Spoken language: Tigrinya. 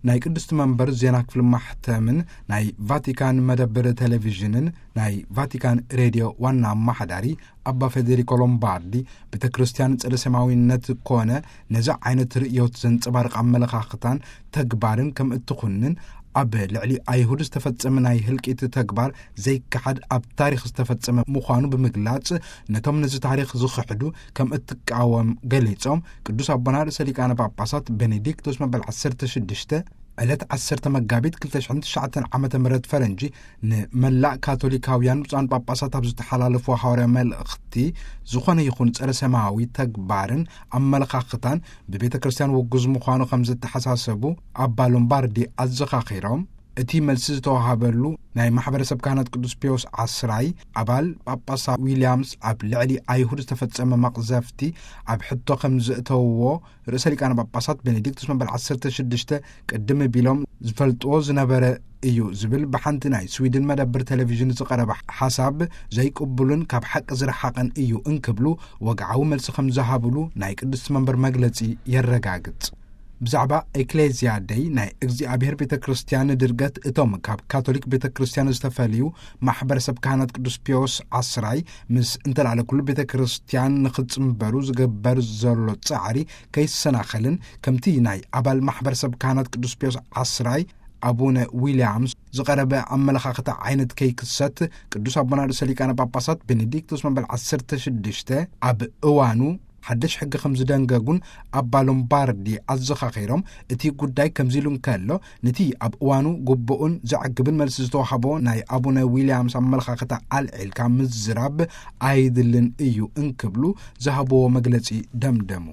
ናይ ቅድስቲ መንበር ዜና ክፍሊ ማሕተምን ናይ ቫቲካን መደብር ቴሌቪዥንን ናይ ቫቲካን ሬድዮ ዋና ኣማሓዳሪ ኣባ ፌዴሪኮ ሎምባርዲ፣ ቤተ ክርስቲያን ጸረ ሰማያዊነት ኮነ ነዚ ዓይነት ርእዮት ዘንጸባርቕ ኣመለኻኽታን ተግባርን ከም እትኹንን፣ ኣብ ልዕሊ ኣይሁድ ዝተፈጸመ ናይ ህልቂት ተግባር ዘይከሓድ ኣብ ታሪኽ ዝተፈጸመ ምዃኑ ብምግላጽ፣ ነቶም ነዚ ታሪኽ ዝኽሕዱ ከም እትቃወም ገሊጾም፣ ቅዱስ ኣቦና ርእሰ ሊቃነ ጳጳሳት ቤኔዲክቶስ መበል ዓሰርተ ሽዱሽተ ዕለት ዓሰርተ መጋቢት ክልተ ሽሕን ትሽዓተን ዓመተ ምህረት ፈረንጂ ንመላእ ካቶሊካውያን ብፁዓን ጳጳሳት ኣብ ዝተሓላለፉ ሃዋርያ መልእኽቲ፣ ዝኾነ ይኹን ጸረ ሰማያዊ ተግባርን ኣመለኻኽታን ብቤተ ክርስቲያን ውጉዝ ምዃኑ ከም ዝተሓሳሰቡ ኣባ ሎምባርዲ ኣዘኻኺሮም፣ እቲ መልሲ ዝተዋሃበሉ ናይ ማሕበረሰብ ካህናት ቅዱስ ፒዮስ ዓስራይ ኣባል ጳጳሳ ዊልያምስ ኣብ ልዕሊ ኣይሁድ ዝተፈጸመ መቕዘፍቲ ኣብ ሕቶ ከም ዘእተውዎ ርእሰ ሊቃነ ጳጳሳት ቤኔዲክቱስ መበል ዓሰርተ ሽዱሽተ ቅድም ቢሎም ዝፈልጥዎ ዝነበረ እዩ ዝብል ብሓንቲ ናይ ስዊድን መደብር ቴሌቪዥን ዝቐረበ ሓሳብ ዘይቅቡልን ካብ ሓቂ ዝረሓቐን እዩ እንክብሉ ወግዓዊ መልሲ ከም ዝሃብሉ ናይ ቅድስቲ መንበር መግለጺ የረጋግጽ። ብዛዕባ ኤክሌዝያ ደይ ናይ እግዚኣብሔር ቤተ ክርስቲያን ድርገት እቶም ካብ ካቶሊክ ቤተ ክርስቲያን ዝተፈልዩ ማሕበረሰብ ካህናት ቅዱስ ፒዮስ ዓስራይ ምስ እንተላዕለ ኩሉ ቤተ ክርስቲያን ንኽጽንበሩ ዝግበር ዘሎ ጻዕሪ ከይሰናኸልን ከምቲ ናይ ኣባል ማሕበረሰብ ካህናት ቅዱስ ፒዮስ ዓስራይ ኣቡነ ዊልያምስ ዝቐረበ ኣመለኻኽታ ዓይነት ከይክሰት ቅዱስ ኣቦና ርእሰ ሊቃነ ጳጳሳት ቤኔዲክቶስ መበል ዓሰርተ ሽዱሽተ ኣብ እዋኑ ሓድሽ ሕጊ ከም ዝደንገጉን ኣባ ሎምባርዲ ኣዘኻኺሮም፣ እቲ ጉዳይ ከምዚ ኢሉ እንከሎ፣ ነቲ ኣብ እዋኑ ግቡእን ዘዕግብን መልሲ ዝተዋህቦ ናይ ኣቡነ ዊልያምስ ኣመለኻኽታ ኣልዒልካ ምዝራብ ኣይድልን እዩ እንክብሉ ዝሃብዎ መግለጺ ደምደሙ።